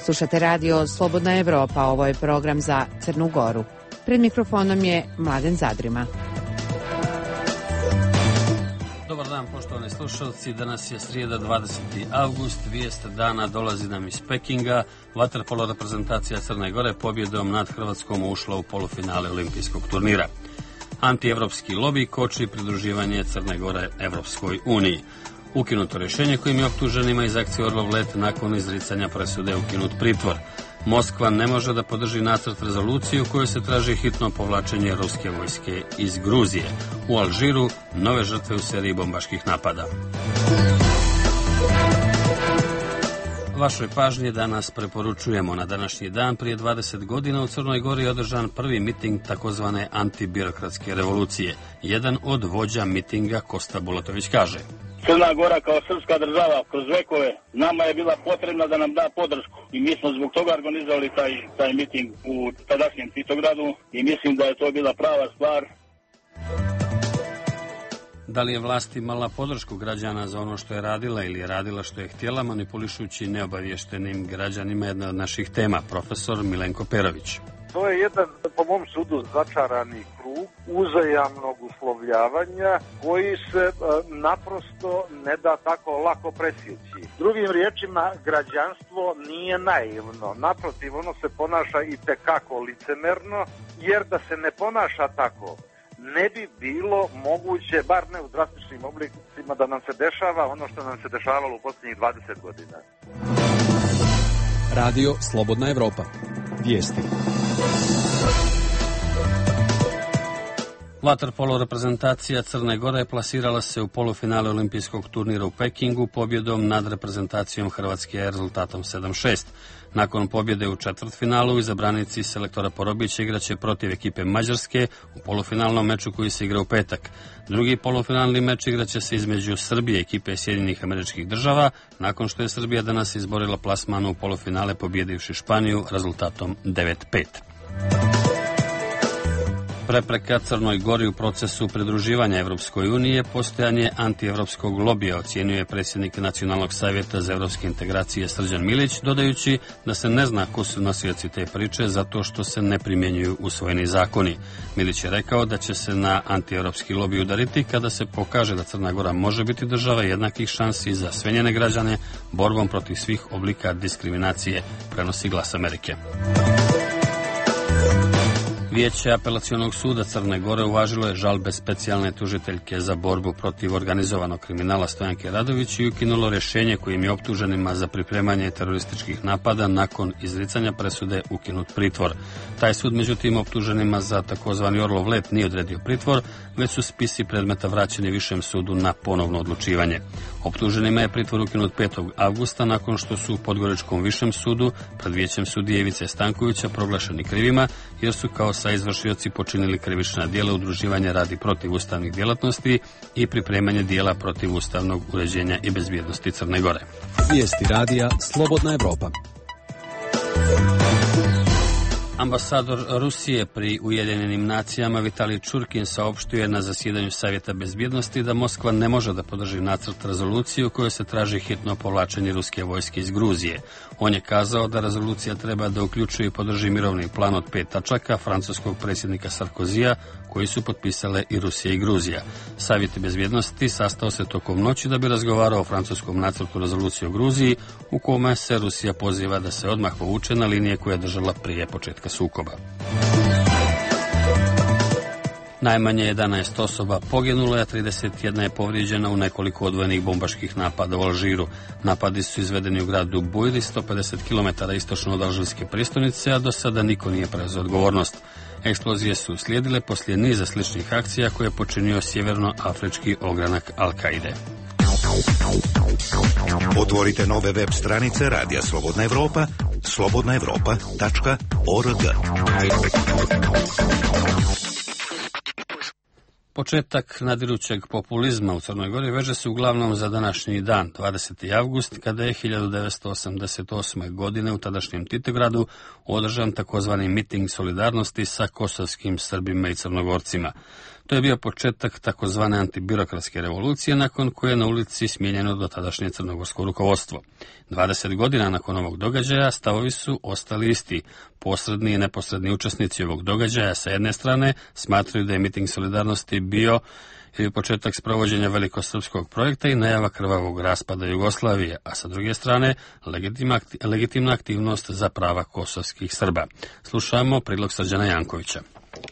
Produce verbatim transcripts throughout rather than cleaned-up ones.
Slušate radio Slobodna Evropa, ovo je program za Crnu Goru. Pred mikrofonom je Mladen Zadrima. Dobar dan, poštovani slušalci. Danas je srijeda, dvadeseti avgust. Vijest dana dolazi nam iz Pekinga. Vaterpolo reprezentacija Crne Gore pobjedom nad Hrvatskom ušla u polufinale olimpijskog turnira. Antievropski lobi koči pridruživanje Crne Gore Evropskoj uniji. Ukinuto rješenje kojim je optuženima iz akcije Orlov let nakon izricanja presude ukinut pritvor. Moskva ne može da podrži nacrt rezolucije u kojoj se traži hitno povlačenje ruske vojske iz Gruzije. U Alžiru nove žrtve u seriji bombaških napada. Vašoj pažnji danas preporučujemo. Na današnji dan prije dvadeset godina u Crnoj Gori je održan prvi miting takozvane antibirokratske revolucije. Jedan od vođa mitinga, Kosta Bulatović, kaže: Crna Gora kao srpska država kroz vekove nama je bila potrebna da nam da podršku i mi smo zbog toga organizovali taj, taj miting u tadašnjem Titogradu i mislim da je to bila prava stvar. Da li je vlast imala podršku građana za ono što je radila ili je radila što je htjela, manipulišući neobavještenim građanima, jedna od naših tema, profesor Milenko Perović. To je jedan, po mom sudu, začarani krug uzajamnog uslovljavanja koji se e, naprosto ne da tako lako presjeći. Drugim riječima, građanstvo nije naivno. Naprotiv, ono se ponaša i tekako licemerno, jer da se ne ponaša tako, ne bi bilo moguće, bar ne u drastičnim oblicima, da nam se dešava ono što nam se dešavalo u posljednjih dvadeset godina. Radio Slobodna Evropa. Vijesti. Vaterpolo reprezentacija Crne Gore plasirala se u polufinale olimpijskog turnira u Pekingu pobjedom nad reprezentacijom Hrvatske rezultatom sedam šest. Nakon pobjede u četvrtfinalu, izabranici selektora Porobića igraće protiv ekipe Mađarske u polufinalnom meču koji se igra u petak. Drugi polufinalni meč igraće se između Srbije i ekipe Sjedinjenih Američkih Država, nakon što je Srbija danas izborila plasmanu u polufinale pobjedivši Španiju rezultatom devet pet. Prepreka Crnoj Gori u procesu pridruživanja Evropskoj uniji je postojanje antievropskog lobija, ocjenjuje predsjednik Nacionalnog savjeta za evropske integracije Srđan Milić, dodajući da se ne zna ko su nosioci te priče zato što se ne primjenjuju usvojeni zakoni. Milić je rekao da će se na antievropski lobij udariti kada se pokaže da Crna Gora može biti država jednakih šansi za sve njene građane borbom protiv svih oblika diskriminacije, prenosi Glas Amerike. Vijeće Apelacionog suda Crne Gore uvažilo je žalbe specijalne tužiteljke za borbu protiv organizovanog kriminala Stojanke Radović i ukinulo rješenje kojim je optuženima za pripremanje terorističkih napada nakon izricanja presude ukinut pritvor. Taj sud, međutim, optuženima za takozvani Orlov let nije odredio pritvor, već su spisi predmeta vraćeni višem sudu na ponovno odlučivanje. Optuženima je pritvor ukinut petog avgusta nakon što su u Podgoričkom višem sudu pred vijećem sudije Ivice Stankovića proglašeni krivima jer su kao sa izvršioci počinili krivična djela udruživanja radi protiv ustavnih djelatnosti i pripremanje djela protiv ustavnog uređenja i bezbjednosti Crne Gore. Vijesti radija Slobodna Evropa. Ambasador Rusije pri Ujedinjenim nacijama Vitalij Čurkin saopštio je na zasjedanju Savjeta bezbjednosti da Moskva ne može da podrži nacrt rezolucije u kojoj se traži hitno povlačenje ruske vojske iz Gruzije. On je kazao da rezolucija treba da uključuje i podrži mirovni plan od pet tačaka francuskog predsjednika Sarkozija koji su potpisale i Rusija i Gruzija. Savjet bezbjednosti sastao se tokom noći da bi razgovarao o francuskom nacrtu rezolucije o Gruziji u kome se Rusija poziva da se odmah povuče na linije koje je držala prije početka sukoba. Najmanje jedanaest osoba poginulo, a trideset jedna je povrijeđena u nekoliko odvojenih bombaških napada u Alžiru. Napadi su izvedeni u gradu Bujri, sto pedeset kilometara istočno od alžirske prijestolnice, a do sada niko nije preuzeo odgovornost. Eksplozije su slijedile poslije niza sličnih akcija koje je počinio sjevernoafrički ogranak Al-Kaide. Otvorite nove web stranice Radija Slobodna Evropa, slobodna evropa tačka org. Početak nadirućeg populizma u Crnoj Gori veže se uglavnom za današnji dan, dvadeseti avgust, kada je hiljadu devetsto osamdeset osme. godine u tadašnjem Titogradu održan takozvani miting solidarnosti sa kosovskim Srbima i Crnogorcima. To je bio početak takozvane antibirokratske revolucije, nakon koje je na ulici smijenjeno dotadašnje crnogorsko rukovodstvo. dvadeset godina nakon ovog događaja stavovi su ostali isti. Posredni i neposredni učesnici ovog događaja sa jedne strane smatraju da je miting solidarnosti bio ili početak sprovođenja velikosrpskog projekta i najava krvavog raspada Jugoslavije, a sa druge strane legitimna, legitimna aktivnost za prava kosovskih Srba. Slušamo prilog Srđana Jankovića.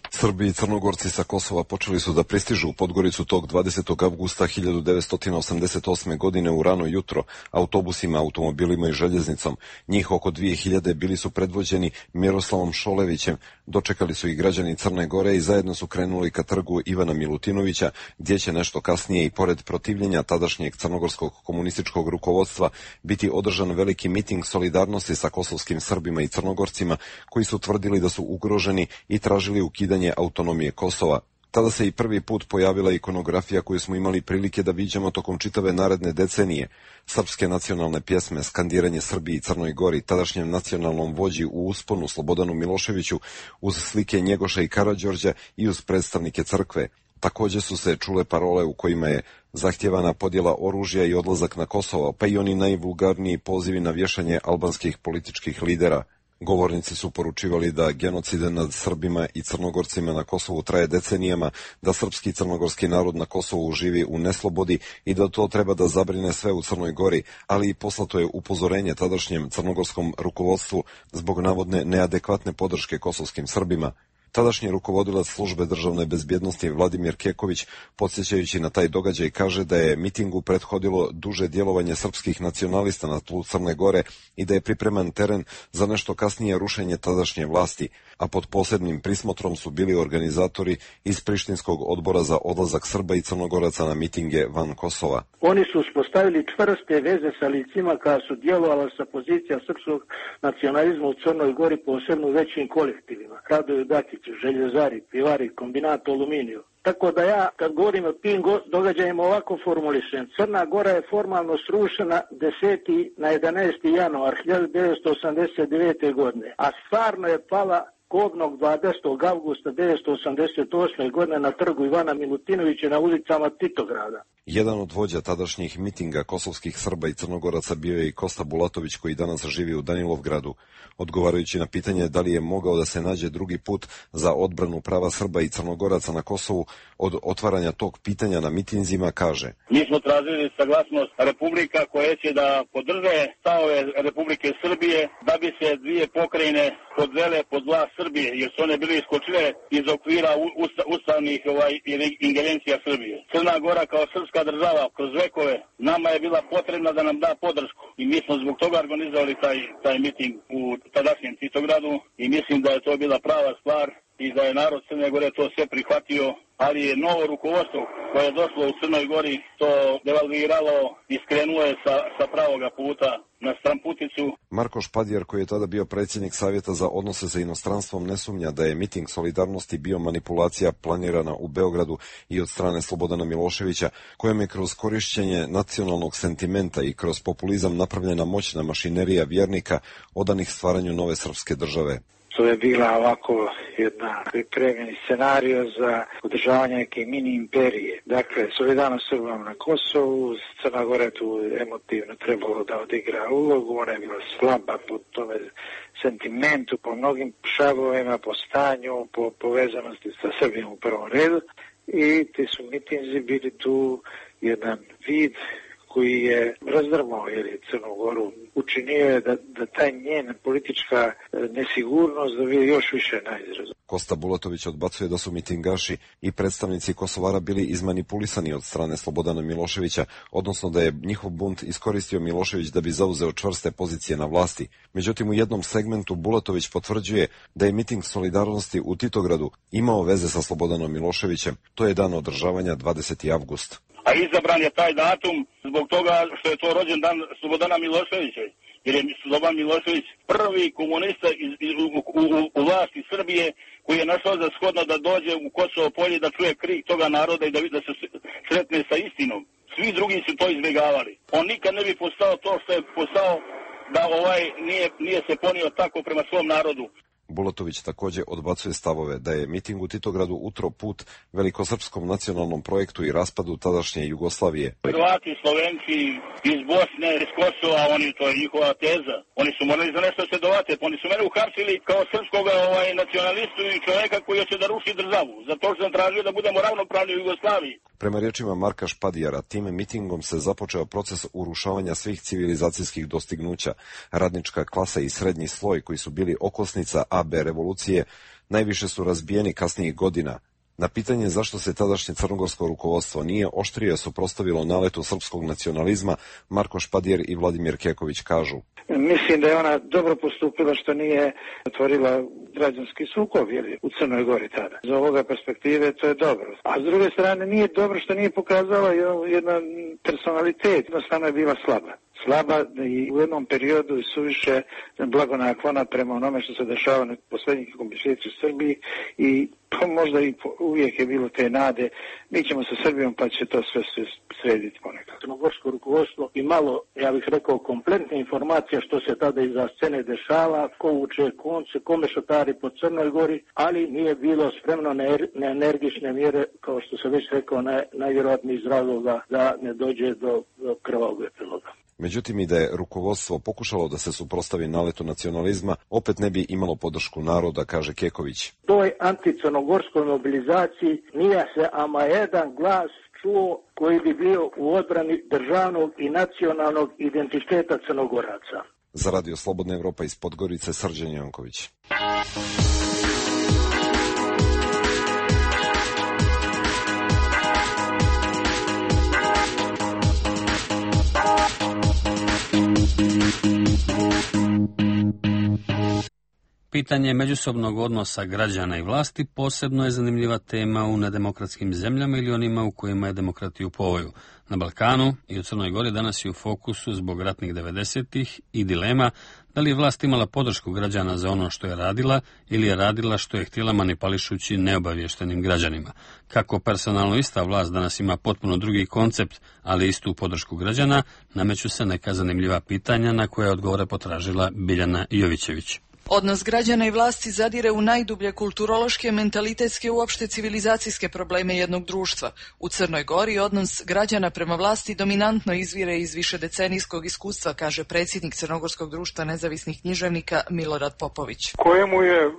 Srbi i Crnogorci sa Kosova počeli su da pristižu u Podgoricu tog dvadesetog avgusta hiljadu devetsto osamdeset osme. godine u rano jutro autobusima, automobilima i željeznicom. Njih oko dvije hiljade bili su predvođeni Miroslavom Šolevićem. Dočekali su i građani Crne Gore i zajedno su krenuli ka trgu Ivana Milutinovića, gdje će nešto kasnije i pored protivljenja tadašnjeg crnogorskog komunističkog rukovodstva biti održan veliki miting solidarnosti sa kosovskim Srbima i Crnogorcima, koji su tvrdili da su ugroženi i tražili ukidanje autonomije Kosova. Tada se i prvi put pojavila ikonografija koju smo imali prilike da viđamo tokom čitave naredne decenije. Srpske nacionalne pjesme, skandiranje Srbiji i Crnoj Gori, tadašnjem nacionalnom vođi u usponu Slobodanu Miloševiću, uz slike Njegoša i Karađorđa i uz predstavnike crkve. Također su se čule parole u kojima je zahtjevana podjela oružja i odlazak na Kosovo, pa i oni najvulgarniji pozivi na vješanje albanskih političkih lidera. Govornici su poručivali da genocid nad Srbima i Crnogorcima na Kosovu traje decenijama, da srpski i crnogorski narod na Kosovu živi u neslobodi i da to treba da zabrine sve u Crnoj Gori, ali i poslato je upozorenje tadašnjem crnogorskom rukovodstvu zbog navodne neadekvatne podrške kosovskim Srbima. Tadašnji rukovodilac službe državne bezbjednosti Vladimir Keković, podsjećajući na taj događaj, kaže da je mitingu prethodilo duže djelovanje srpskih nacionalista na tlu Crne Gore i da je pripreman teren za nešto kasnije rušenje tadašnje vlasti, a pod posebnim prismotrom su bili organizatori iz Prištinskog odbora za odlazak Srba i Crnogoraca na mitinge van Kosova. Oni su uspostavili čvrste veze sa licima koja su djelovala sa pozicija srpskog nacionalizma u Crnoj Gori, posebno u većim kolektivima. Radoju Dakić, željezari, pivari, kombinat aluminiju. Tako da ja, kad govorim o tim događajima, ovako formulišem. Crna Gora je formalno srušena deseti na jedanaesti januar hiljadu devetsto osamdeset devete. godine, a stvarno je pala kobnog dvadesetog avgusta devetsto osamdeset osme. godine na trgu Ivana Milutinovića na ulicama Titograda. Jedan od vođa tadašnjih mitinga kosovskih Srba i Crnogoraca bio je i Kosta Bulatović, koji danas živi u Danilovgradu. Odgovarajući na pitanje da li je mogao da se nađe drugi put za odbranu prava Srba i Crnogoraca na Kosovu od otvaranja tog pitanja na mitinzima, kaže: Mi smo tražili saglasnost Republika koje će da podrže stavove Republike Srbije da bi se dvije pokrajine podvele pod vlast Srbije, jer su one bile iskočile iz okvira usta, ustavnih ovaj, ingerencija Srbije. Crna Gora kao srpska država kroz vekove nama je bila potrebna da nam da podršku i mi smo zbog toga organizovali taj, taj miting u tadašnjem Titogradu i mislim da je to bila prava stvar i da je narod Crne Gore to sve prihvatio, ali je novo rukovodstvo koje je došlo u Crnoj Gori to devalviralo i skrenulo je sa, sa pravoga puta na stramputicu. Marko Špadjar, koji je tada bio predsjednik Savjeta za odnose sa inostranstvom, ne sumnja da je miting solidarnosti bio manipulacija planirana u Beogradu i od strane Slobodana Miloševića, kojem je kroz korišćenje nacionalnog sentimenta i kroz populizam napravljena moćna mašinerija vjernika odanih stvaranju nove srpske države. To je bila ovako jedna pripremljeni scenario za održavanje neke mini imperije. Dakle, solidarnost Srbama na Kosovu, Crna Gora je tu emotivno trebalo da odigra ulogu, ona je bila slaba po tome sentimentu, po mnogim šavovima, po stanju, po povezanosti sa Srbijom u prvom redu i ti su mitinzi bili tu jedan vid koji je razdrmao Crnu Goru, učinio je da, da taj njen politička nesigurnost dobije još više na izrazu. Kosta Bulatović odbacuje da su mitingaši i predstavnici Kosovara bili izmanipulisani od strane Slobodana Miloševića, odnosno da je njihov bunt iskoristio Milošević da bi zauzeo čvrste pozicije na vlasti. Međutim, u jednom segmentu Bulatović potvrđuje da je miting solidarnosti u Titogradu imao veze sa Slobodanom Miloševićem. To je dan održavanja dvadesetog avgusta. A izabran je taj datum zbog toga što je to rođendan Slobodana Miloševića, jer je Slobodan Milošević prvi komunista iz, iz, u, u, u vlasti Srbije koji je našao za shodno da dođe u Kosovo polje da čuje krik toga naroda i da, da se sretne sa istinom. Svi drugi su to izbjegavali. On nikad ne bi postao to što je postao da ovaj nije, nije se ponio tako prema svom narodu. Bulatović također odbacuje stavove da je miting u Titogradu utro put velikosrpskom nacionalnom projektu i raspadu tadašnje Jugoslavije. Hrvati, Slovenci iz Bosne, iz Kosova, oni, to je njihova teza. Oni su morali za nešto se dovate, oni su mene uhapsili kao srpskog ovaj, nacionalistu i čovjeka koji hoće da ruši državu. Zato što sam tražio da budemo ravnopravni u Jugoslaviji. Prema riječima Marka Špadijara, tim mitingom se započeo proces urušavanja svih civilizacijskih dostignuća. Radnička klasa i srednji sloj, koji su bili okosnica A B revolucije, najviše su razbijeni kasnijih godina. Na pitanje zašto se tadašnje crnogorsko rukovodstvo nije oštrije suprotstavilo naletu srpskog nacionalizma, Marko Špadijer i Vladimir Keković kažu: Mislim da je ona dobro postupila što nije otvorila građanski sukob u Crnoj Gori tada. Za ovoga perspektive to je dobro. A s druge strane nije dobro što nije pokazala jedan personalitet, jednostavno je bila slaba. Slaba i u jednom periodu i suviše blagonaklona prema onome što se dešava na posljednjih mjeseci u Srbiji i pa možda i uvijek je bilo te nade, mi ćemo sa Srbijom pa će to sve srediti ponekad. Crnogorsko rukovodstvo imalo, ja bih rekao, kompletne informacije što se tada iza scene dešava, ko uče konce, kome šotari po Crnoj Gori, ali nije bilo spremno na energične mjere, kao što se već rekao, na, najvjerojatniji iz razloga da ne dođe do, do krvavog epiloga. Međutim, i da je rukovodstvo pokušalo da se suprotstavi naletu nacionalizma, opet ne bi imalo podršku naroda, kaže Keković. Toj anticrnogorskoj mobilizaciji nije se ama jedan glas čuo koji bi bio u odbrani državnog i nacionalnog identiteta Crnogoraca. Za Radio Slobodna Evropa iz Podgorice, Srđan Janković. Pitanje međusobnog odnosa građana i vlasti posebno je zanimljiva tema u nedemokratskim zemljama ili onima u kojima je demokratija u povoju. Na Balkanu i u Crnoj Gori danas je u fokusu zbog ratnih devedesetih i dilema da li je vlast imala podršku građana za ono što je radila ili je radila što je htjela manipulišući neobavještenim građanima. Kako personalno ista vlast danas ima potpuno drugi koncept, ali istu podršku građana, nameću se neka zanimljiva pitanja na koje odgovore potražila Biljana Jovićević. Odnos građana i vlasti zadire u najdublje kulturološke, mentalitetske i uopšte civilizacijske probleme jednog društva. U Crnoj Gori odnos građana prema vlasti dominantno izvire iz višedecenijskog iskustva, kaže predsjednik Crnogorskog društva nezavisnih književnika Milorad Popović. Kojemu je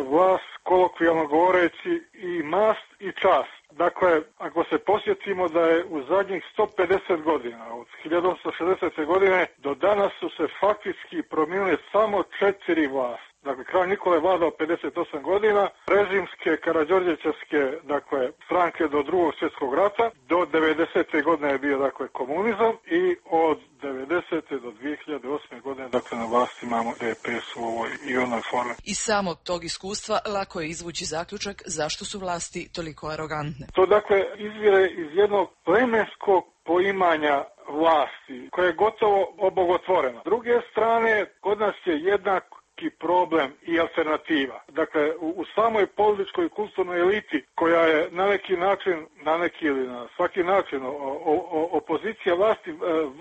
vlast, kolokvijalno govoreći, i mast i čast. Dakle, ako se posjetimo da je u zadnjih sto pedeset godina, od hiljadu osamsto šezdesete godine do danas su se faktički promijenile samo četiri vlasti. Dakle, kralj Nikola je vladao pedeset osam godina, režimske, karađorđevićevske, dakle, stranke do drugog svjetskog rata, do devedesete godine je bio, dakle, komunizam i od devedesete do dvije hiljade osme godine, dakle, na vlasti imamo D P S u ovoj i onoj formi. Iz samog tog iskustva lako je izvući zaključak zašto su vlasti toliko arogantne. To, dakle, izvire iz jednog plemenskog poimanja vlasti, koje je gotovo obogotvoreno. S druge strane, kod nas je jednak problem i alternativa. Dakle, u, u samoj političkoj i kulturnoj eliti, koja je na neki način, na neki ili na svaki način o, o, o, opozicija vlasti,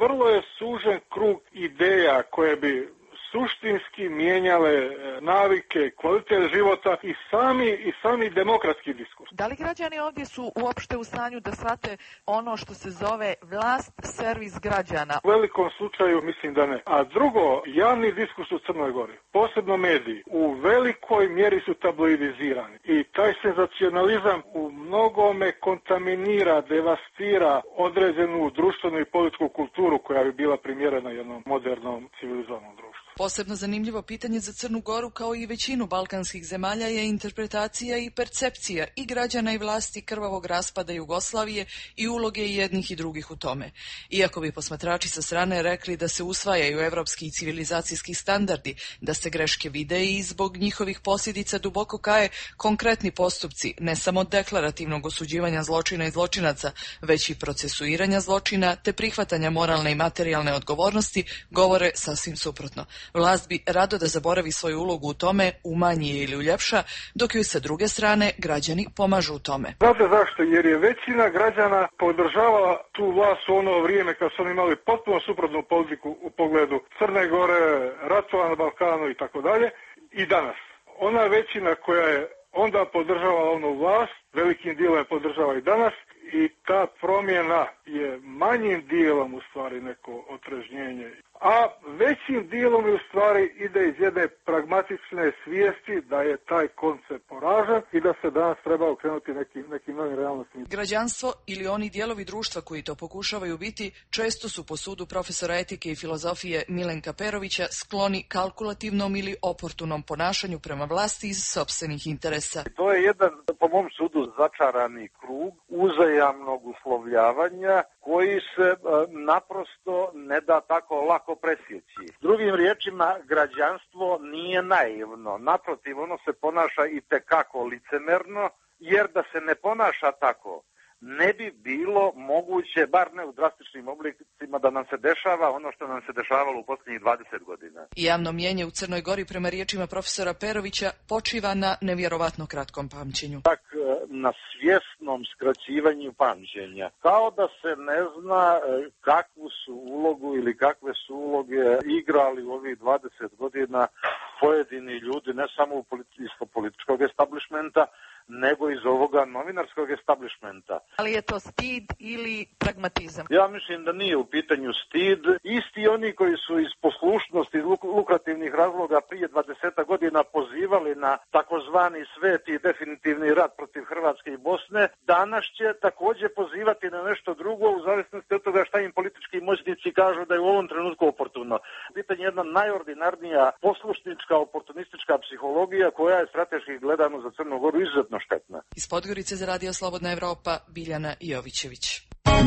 vrlo je sužen krug ideja koje bi suštinski mijenjale navike, kvalitet života i sami, i sami demokratski diskurs. Da li građani ovdje su uopšte u stanju da shvate ono što se zove vlast, servis građana? U velikom slučaju mislim da ne. A drugo, javni diskurs u Crnoj Gori, posebno mediji, u velikoj mjeri su tabloidizirani i taj senzacionalizam u mnogome kontaminira, devastira određenu društvenu i političku kulturu koja bi bila primjerena jednom modernom civilizovanom društvu. Posebno zanimljivo pitanje za Crnu Goru, kao i većinu balkanskih zemalja, je interpretacija i percepcija i građana i vlasti krvavog raspada Jugoslavije i uloge jednih i drugih u tome. Iako bi posmatrači sa strane rekli da se usvajaju evropski i civilizacijski standardi, da se greške vide i zbog njihovih posljedica duboko kaje konkretni postupci, ne samo deklarativnog osuđivanja zločina i zločinaca, već i procesuiranja zločina te prihvatanja moralne i materijalne odgovornosti, govore sasvim suprotno. Vlast bi rado da zaboravi svoju ulogu u tome, umanji je ili uljepša, dok joj sa druge strane građani pomažu u tome. Znate zašto? Jer je većina građana podržavala tu vlast u ono vrijeme kad su oni imali potpuno suprotnu politiku u pogledu Crne Gore, ratova na Balkanu i tako dalje. I danas. ona većina koja je onda podržavala onu vlast, velikim dijelom je podržava i danas, i ta promjena je manjim dijelom u stvari neko otrežnjenje. A većim dijelom u stvari ide iz jedne pragmatične svijesti da je taj koncept poražen i da se danas treba okrenuti nekim, nekim novim realnostima. Građanstvo ili oni dijelovi društva koji to pokušavaju biti često su po sudu profesora etike i filozofije Milenka Perovića skloni kalkulativnom ili oportunom ponašanju prema vlasti iz sopstvenih interesa. To je jedan, po mom sudu, začarani krug uzajamnog uslovljavanja koji se e, naprosto ne da tako lako presjeći. Drugim riječima, građanstvo nije naivno. Naprotiv, ono se ponaša i tekako licemerno, jer da se ne ponaša tako, ne bi bilo moguće, bar ne u drastičnim oblicima, da nam se dešava ono što nam se dešavalo u posljednjih dvadeset godina. Javno mnijenje u Crnoj Gori prema riječima profesora Perovića počiva na nevjerovatno kratkom pamćenju. Tak, na svjesnom skraćivanju pamćenja. Kao da se ne zna kakvu su ulogu ili kakve su uloge igrali u ovih dvadeset godina pojedini ljudi, ne samo u političkog establishmenta, nego iz ovoga novinarskog establishmenta. Ali je to stid ili pragmatizam? Ja mislim da nije u pitanju stid. Isti oni koji su iz poslušnosti i lukrativnih razloga prije dvadeset godina pozivali na takozvani sveti definitivni rat protiv Hrvatske i Bosne, danas će također pozivati na nešto drugo u zavisnosti od toga šta im politički moćnici kažu da je u ovom trenutku oportuno. Pitanje je jedna najordinarnija poslušnička, oportunistička psihologija koja je strateški gledano za Crnu Goru izuzetno štetna. Iz Podgorice za Radio Slobodna Evropa, Biljana Jovićević.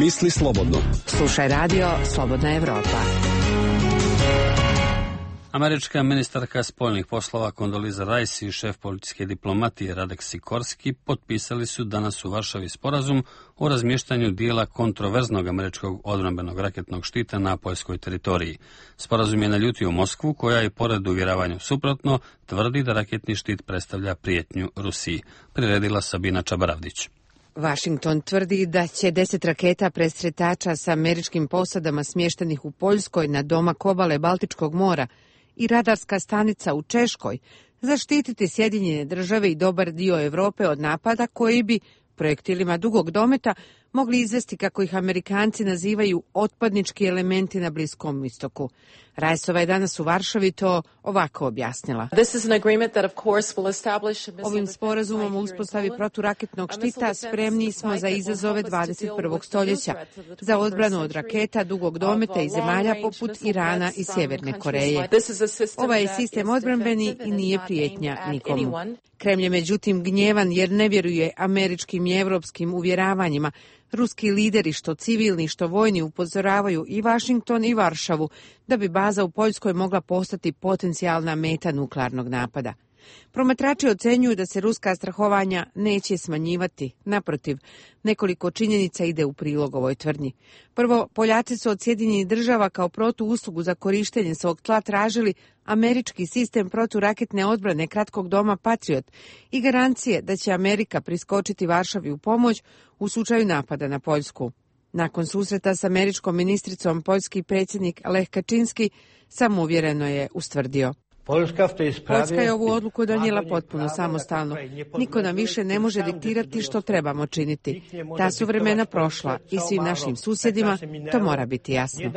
Misli slobodno. Slušaj Radio Slobodna Evropa. Američka ministarka spoljnih poslova Kondoliza Rice i šef policijske diplomatije Radek Sikorski potpisali su danas u Varšavi sporazum o razmještanju dijela kontroverznog američkog odbrambenog raketnog štita na poljskoj teritoriji. Sporazum je naljutio Moskvu, koja i pored uvjeravanja suprotno tvrdi da raketni štit predstavlja prijetnju Rusiji. Priredila Sabina Čabaravdić. Washington tvrdi da će deset raketa presretača sa američkim posadama smještenih u Poljskoj na domak obale Baltičkog mora i radarska stanica u Češkoj zaštititi Sjedinjene države i dobar dio Europe od napada koji bi projektilima dugog dometa mogli izvesti, kako ih Amerikanci nazivaju, otpadnički elementi na Bliskom istoku. Rajsova je danas u Varšavi to ovako objasnila. Ovim sporazumom o uspostavi proturaketnog štita spremni smo za izazove dvadeset prvog stoljeća, za odbranu od raketa dugog dometa i zemalja poput Irana i Sjeverne Koreje. Ovaj je sistem odbrambeni i nije prijetnja nikomu. Kremlj je međutim gnjevan jer ne vjeruje američkim i evropskim uvjeravanjima. Ruski lideri, što civilni, što vojni, upozoravaju i Washington i Varšavu da bi baza u Poljskoj mogla postati potencijalna meta nuklearnog napada. Promatrači ocenjuju da se ruska strahovanja neće smanjivati. Naprotiv, nekoliko činjenica ide u prilog ovoj tvrdnji. Prvo, Poljaci su od Sjedinjenih država kao protuuslugu za korištenje svog tla tražili američki sistem proturaketne odbrane kratkog doma Patriot i garancije da će Amerika priskočiti Varšavi u pomoć u slučaju napada na Poljsku. Nakon susreta s američkom ministricom, poljski predsjednik Lech Kaczynski samouvjereno je ustvrdio: Poljska je ovu odluku donijela potpuno samostalno. Niko nam više ne može diktirati što trebamo činiti. Ta su vremena prošla i svim našim susjedima to mora biti jasno.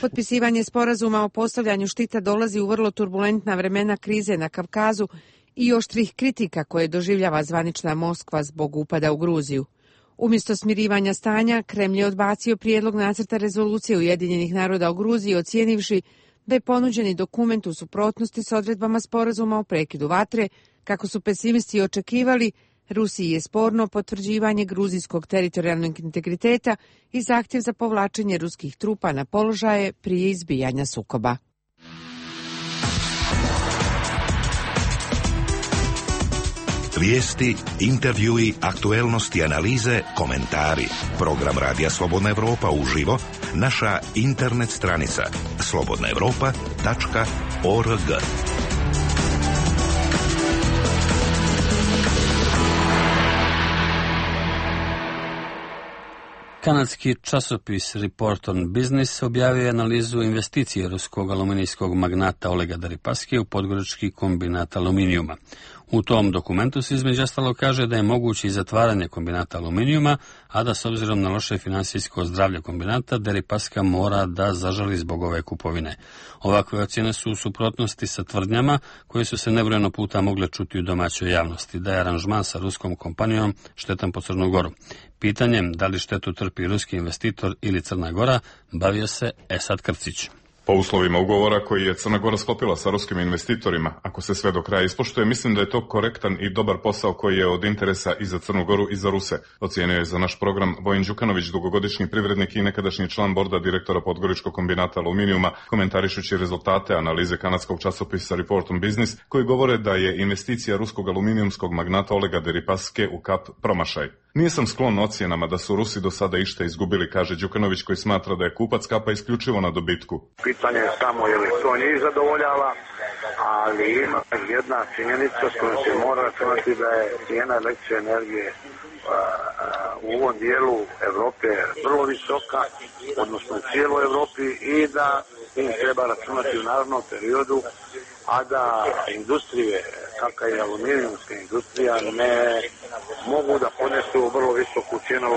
Potpisivanje sporazuma o postavljanju štita dolazi u vrlo turbulentna vremena krize na Kavkazu i oštrih kritika koje doživljava zvanična Moskva zbog upada u Gruziju. Umjesto smirivanja stanja, Kremlj je odbacio prijedlog nacrta rezolucije Ujedinjenih naroda o Gruziji, ocijenivši da je ponuđeni dokument u suprotnosti s odredbama sporazuma o prekidu vatre. Kako su pesimisti očekivali, Rusiji je sporno potvrđivanje gruzijskog teritorijalnog integriteta i zahtjev za povlačenje ruskih trupa na položaje prije izbijanja sukoba. Vijesti, intervjui, aktuelnosti, analize, komentari. Program Radija Slobodna Evropa uživo, naša internet stranica slobodna evropa tačka org. Kanadski časopis Report on Business objavio je analizu investicije ruskog aluminijskog magnata Olega Deripaske u podgorički kombinat aluminijuma. U tom dokumentu se između ostalog kaže da je moguće i zatvaranje kombinata aluminijuma, a da s obzirom na loše finansijsko zdravlje kombinata, Deripaska mora da zažali zbog ove kupovine. Ovakve ocjene su u suprotnosti sa tvrdnjama koje su se nebrojeno puta mogle čuti u domaćoj javnosti, da je aranžman sa ruskom kompanijom štetan po Crnu Goru. Pitanjem da li štetu trpi ruski investitor ili Crna Gora bavio se Esad Krcić. Po uslovima ugovora koji je Crna Gora sklopila sa ruskim investitorima, ako se sve do kraja ispoštuje, mislim da je to korektan i dobar posao koji je od interesa i za Crnu Goru i za Ruse, ocijenio je za naš program Vojin Đukanović, dugogodišnji privrednik i nekadašnji član borda direktora Podgoričkog kombinata aluminijuma, komentarišući rezultate analize kanadskog časopisa Report on Business, koji govore da je investicija ruskog aluminijumskog magnata Olega Deripaske u Kap promašaj. Nisam sklon ocjenama da su Rusi do sada išta izgubili, kaže Đukanović, koji smatra da je kupac Kapa isključivo na dobitku. Pitanje je samo je li to njih zadovoljava, ali ima jedna činjenica s kojom se mora računati da je cijena električne energije u ovom dijelu Evrope vrlo visoka, odnosno u cijeloj Evropi, i da im treba računati u narednom periodu, a da industrije, kakva je aluminijumska industrija, ne mogu da ponesu vrlo visoku cijenu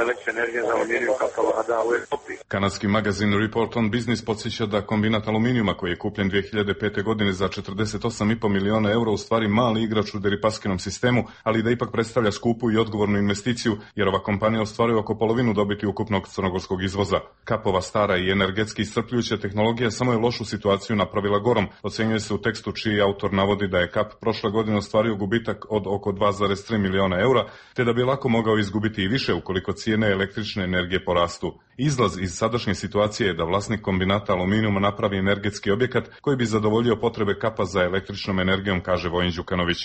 električne energije za aluminijum kakva vlada u Evropi. Kanadski magazin Report on Business podsjeća da kombinat aluminijuma koji je kupljen dvije hiljade pete. godine za četrdeset osam i po miliona eura u stvari mali igrač u Deripaskinom sistemu, ali da ipak predstavlja skupu i odgovornu investiciju, jer ova kompanija ostvaruje oko polovinu dobiti ukupnog crnogorskog izvoza. Kapova stara i energetski iscrpljujuća tehnologija samo je lošu situaciju napravila gorom, ocenjuje se u tekstu čiji autor navodi da je Kap prošle godine ostvario gubitak od oko dva zarez tri miliona eura, te da bi lako mogao izgubiti i više ukoliko cijene električne energije porastu. Izlaz iz sadašnje situacije je da vlasnik kombinata aluminijuma napravi energetski objekat koji bi zadovoljio potrebe Kapa za električnom energijom, kaže Vojin Đukanović.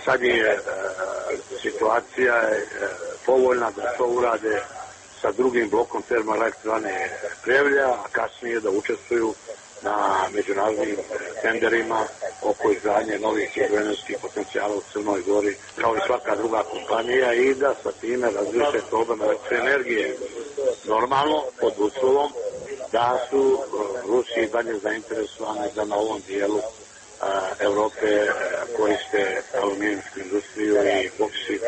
Sad je e, situacija je povoljna da to urade sa drugim blokom termoelektrane Prevlja, a kasnije da učestvuju na međunarodnim tenderima oko izgradnje novih hidroenergetskih potencijala u Crnoj Gori, kao i svaka druga kompanija, i da sa time razriješe problem električne energije. Normalno, pod uslovom da su Rusi dalje zainteresovani da na ovom dijelu Evrope koriste aluminijumsku industriju i boksit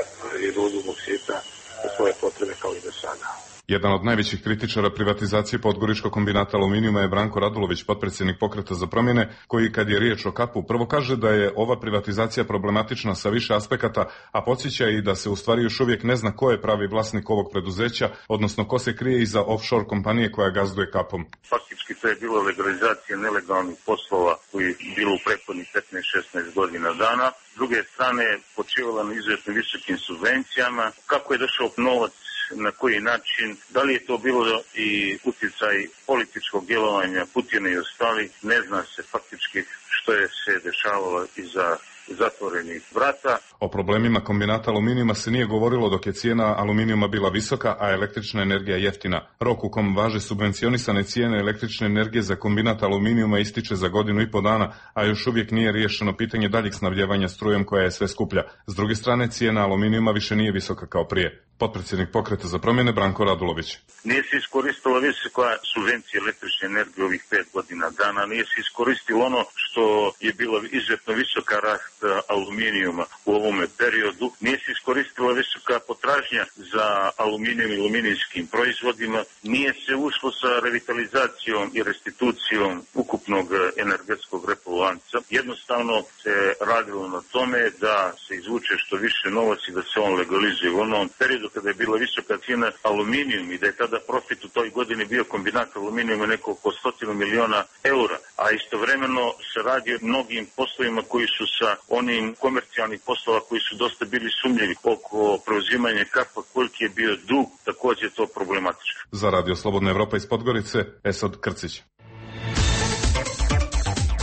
i rudu boksita za svoje potrebe kao i do sada. Jedan od najvećih kritičara privatizacije Podgoričkog kombinata aluminijuma je Branko Radulović, potpredsjednik Pokreta za promjene, koji kad je riječ o Kapu prvo kaže da je ova privatizacija problematična sa više aspekata, a podsjeća i da se u stvari još uvijek ne zna ko je pravi vlasnik ovog preduzeća, odnosno ko se krije iza offshore kompanije koja gazduje Kapom. Faktički to je bilo legalizacija nelegalnih poslova koji je bilo u prethodnih petnaest šesnaest godina dana. S druge strane, počivala na izuzetno visokim subvencijama. Kako je došao novac, na koji način, da li je to bilo i utjecaj političkog djelovanja Putina i ostali, ne zna se faktički što je se dešavalo iza zatvorenih vrata. O problemima kombinata aluminijuma se nije govorilo dok je cijena aluminijuma bila visoka, a električna energija jeftina. Rok u kom važe subvencionisane cijene električne energije za kombinat aluminijuma ističe za godinu i po dana, a još uvijek nije riješeno pitanje daljeg snabdjevanja strujom koja je sve skuplja. S druge strane, cijena aluminijuma više nije visoka kao prije. Potpredsjednik Pokreta za promjene Branko Radulović. Nije se iskoristila visoka subvencija električne energije ovih pet godina dana, nije se iskoristilo ono što je bilo izuzetno visoka rast aluminijuma u ovome periodu, nije se iskoristila visoka potražnja za aluminijum i aluminijskim proizvodima, nije se ušlo sa revitalizacijom i restitucijom ukupnog energetskog repolanca. Jednostavno se radilo na tome da se izvuče što više novac i da se on legalizuje u onom periodu kada je bila visoka cijena aluminijum i da je tada profit u toj godini bio kombinat aluminijuma neko oko stotinu miliona eura, a istovremeno se radi o mnogim poslovima koji su sa onim komercijalnih poslova koji su dosta bili sumnjivi oko preuzimanja Kapa, koliki je bio dug, također je to problematično. Za Radio Slobodna Evropa iz Podgorice, Esad Krcić.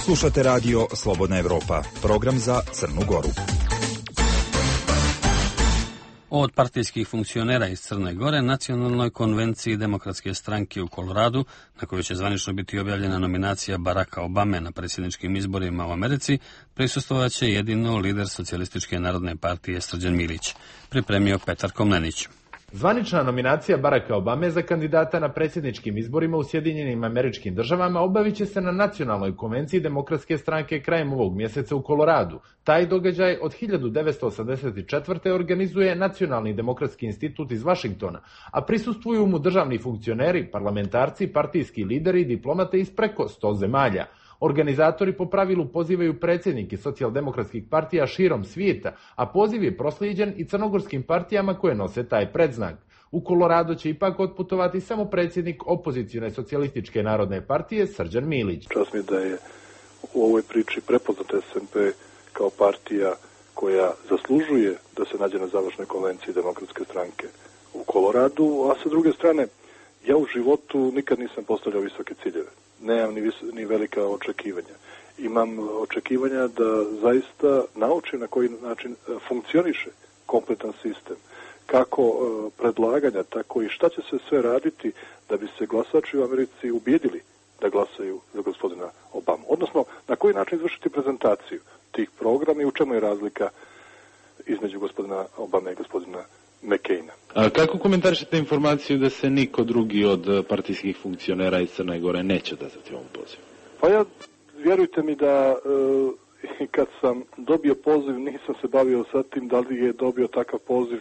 Slušate Radio Slobodna Evropa, program za Crnu Goru. Od partijskih funkcionera iz Crne Gore Nacionalnoj konvenciji Demokratske stranke u Koloradu, na kojoj će zvanično biti objavljena nominacija Baracka Obame na predsjedničkim izborima u Americi, prisustvovat će jedino lider Socijalističke narodne partije Srđan Milić, pripremio Petar Komnenić. Zvanična nominacija Baracka Obame za kandidata na predsjedničkim izborima u Sjedinjenim Američkim Državama obavit će se na nacionalnoj konvenciji Demokratske stranke krajem ovog mjeseca u Koloradu. Taj događaj od hiljadu devetsto osamdeset četvrte. organizuje Nacionalni demokratski institut iz Vašingtona, a prisustvuju mu državni funkcioneri, parlamentarci, partijski lideri i diplomate iz preko sto zemalja. Organizatori po pravilu pozivaju predsjednike socijaldemokratskih partija širom svijeta, a poziv je proslijeđen i crnogorskim partijama koje nose taj predznak. U Kolorado će ipak otputovati samo predsjednik opozicione socijalističke narodne partije Srđan Milić. Čast mi da je u ovoj priči prepoznat S N P kao partija koja zaslužuje da se nađe na završnoj konvenciji Demokratske stranke u Koloradu, a sa druge strane, ja u životu nikad nisam postavljao visoke ciljeve. Nemam ni, vis, ni velika očekivanja. Imam očekivanja da zaista naučim na koji način funkcioniše kompletan sistem. Kako uh, predlaganja, tako i šta će se sve raditi da bi se glasači u Americi ubijedili da glasaju za gospodina Obamu. Odnosno, na koji način izvršiti prezentaciju tih programa i u čemu je razlika između gospodina Obame i gospodina McCaina. A kako komentarišete informaciju da se niko drugi od partijskih funkcionera iz Crne Gore neće odazvati ovom pozivu? Pa ja, vjerujte mi da e, kad sam dobio poziv, nisam se bavio sa tim da li je dobio takav poziv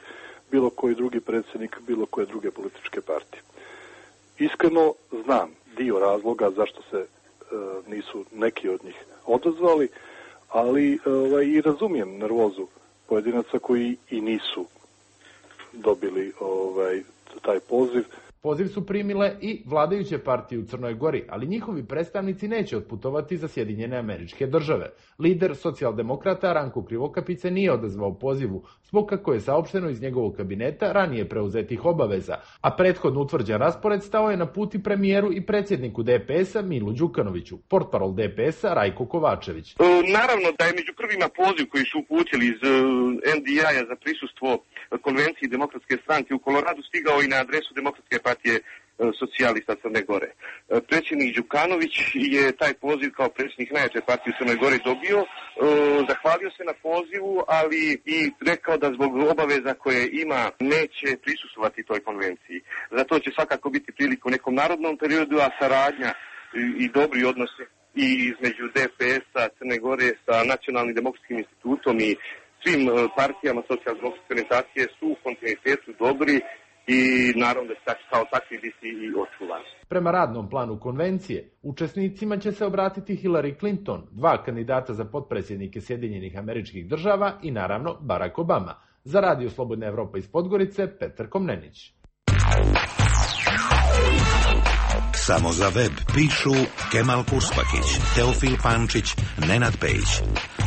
bilo koji drugi predsjednik, bilo koje druge političke partije. Iskreno znam dio razloga zašto se e, nisu neki od njih odazvali, ali e, i razumijem nervozu pojedinaca koji i nisu dobili ovaj taj poziv. Poziv su primile i vladajuće partije u Crnoj Gori, ali njihovi predstavnici neće otputovati za Sjedinjene Američke Države. Lider socijaldemokrata Ranko Krivokapić se nije odazvao pozivu, zbog kako je saopšteno iz njegovog kabineta ranije preuzetih obaveza, a prethodno utvrđen raspored stao je na put i premijeru i predsjedniku D P S-a Milu Đukanoviću, portparol D P S-a Rajko Kovačević. E, naravno da je među prvima poziv koji su uputili iz N D I-a za prisustvo konvenciji Demokratske stranke u Koloradu stigao i na adresu Demokratske partije socijalista Crne Gore. Predsjednik Đukanović je taj poziv kao predsjednik najjače partije u Crnoj Gori dobio, zahvalio se na pozivu, ali i rekao da zbog obaveza koje ima neće prisustvovati toj konvenciji. Zato će svakako biti prilika u nekom narodnom periodu, a saradnja i dobri odnosi i između D P S-a Crne Gore sa Nacionalnim demokratskim institutom i svim partijama socijaldemokratske orijentacije su u kontinuitetu dobri i naravno da će kao takvi biti i očuvani. Prema radnom planu konvencije, učesnicima će se obratiti Hillary Clinton, dva kandidata za potpredsjednike Sjedinjenih Američkih Država i naravno Barack Obama. Za Radio Slobodna Evropa iz Podgorice, Petar Komnenić. Samo za web pišu Kemal Purspakić, Teofil Pančić, Nenad Pejić.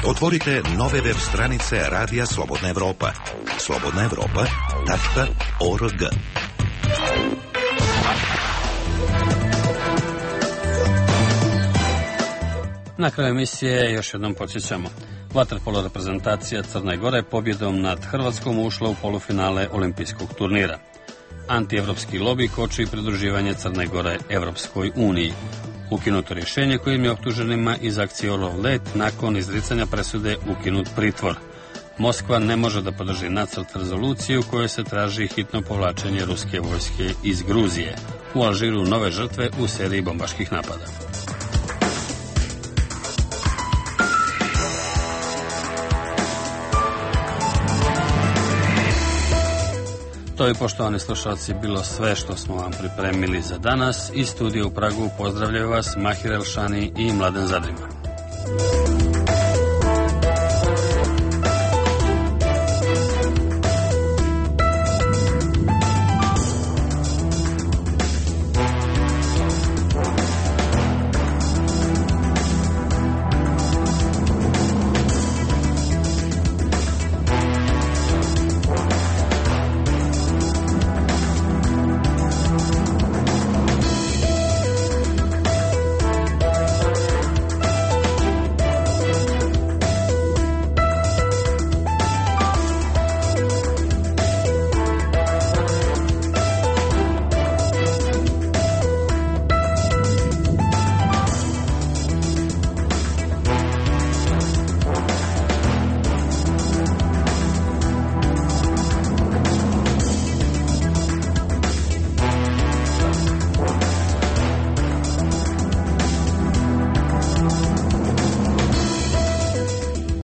Otvorite nove web stranice Radija Slobodna Evropa. slobodna evropa tačka org. Na kraju emisije još jednom podsjećamo. Vaterpolo reprezentacija Crne Gore pobjedom nad Hrvatskom ušla u polufinale olimpijskog turnira. Antievropski lobi koči pridruživanje Crne Gore Evropskoj uniji. Ukinuto rješenje kojim je optuženima iz akcije Orlov let nakon izricanja presude ukinut pritvor. Moskva ne može da podrži nacrt rezolucije u kojoj se traži hitno povlačenje ruske vojske iz Gruzije. U Alžiru nove žrtve u seriji bombaških napada. To je, poštovani slušalci, bilo sve što smo vam pripremili za danas. Iz studija u Pragu pozdravljaju vas Mahir Elšani i Mladen Zadrima.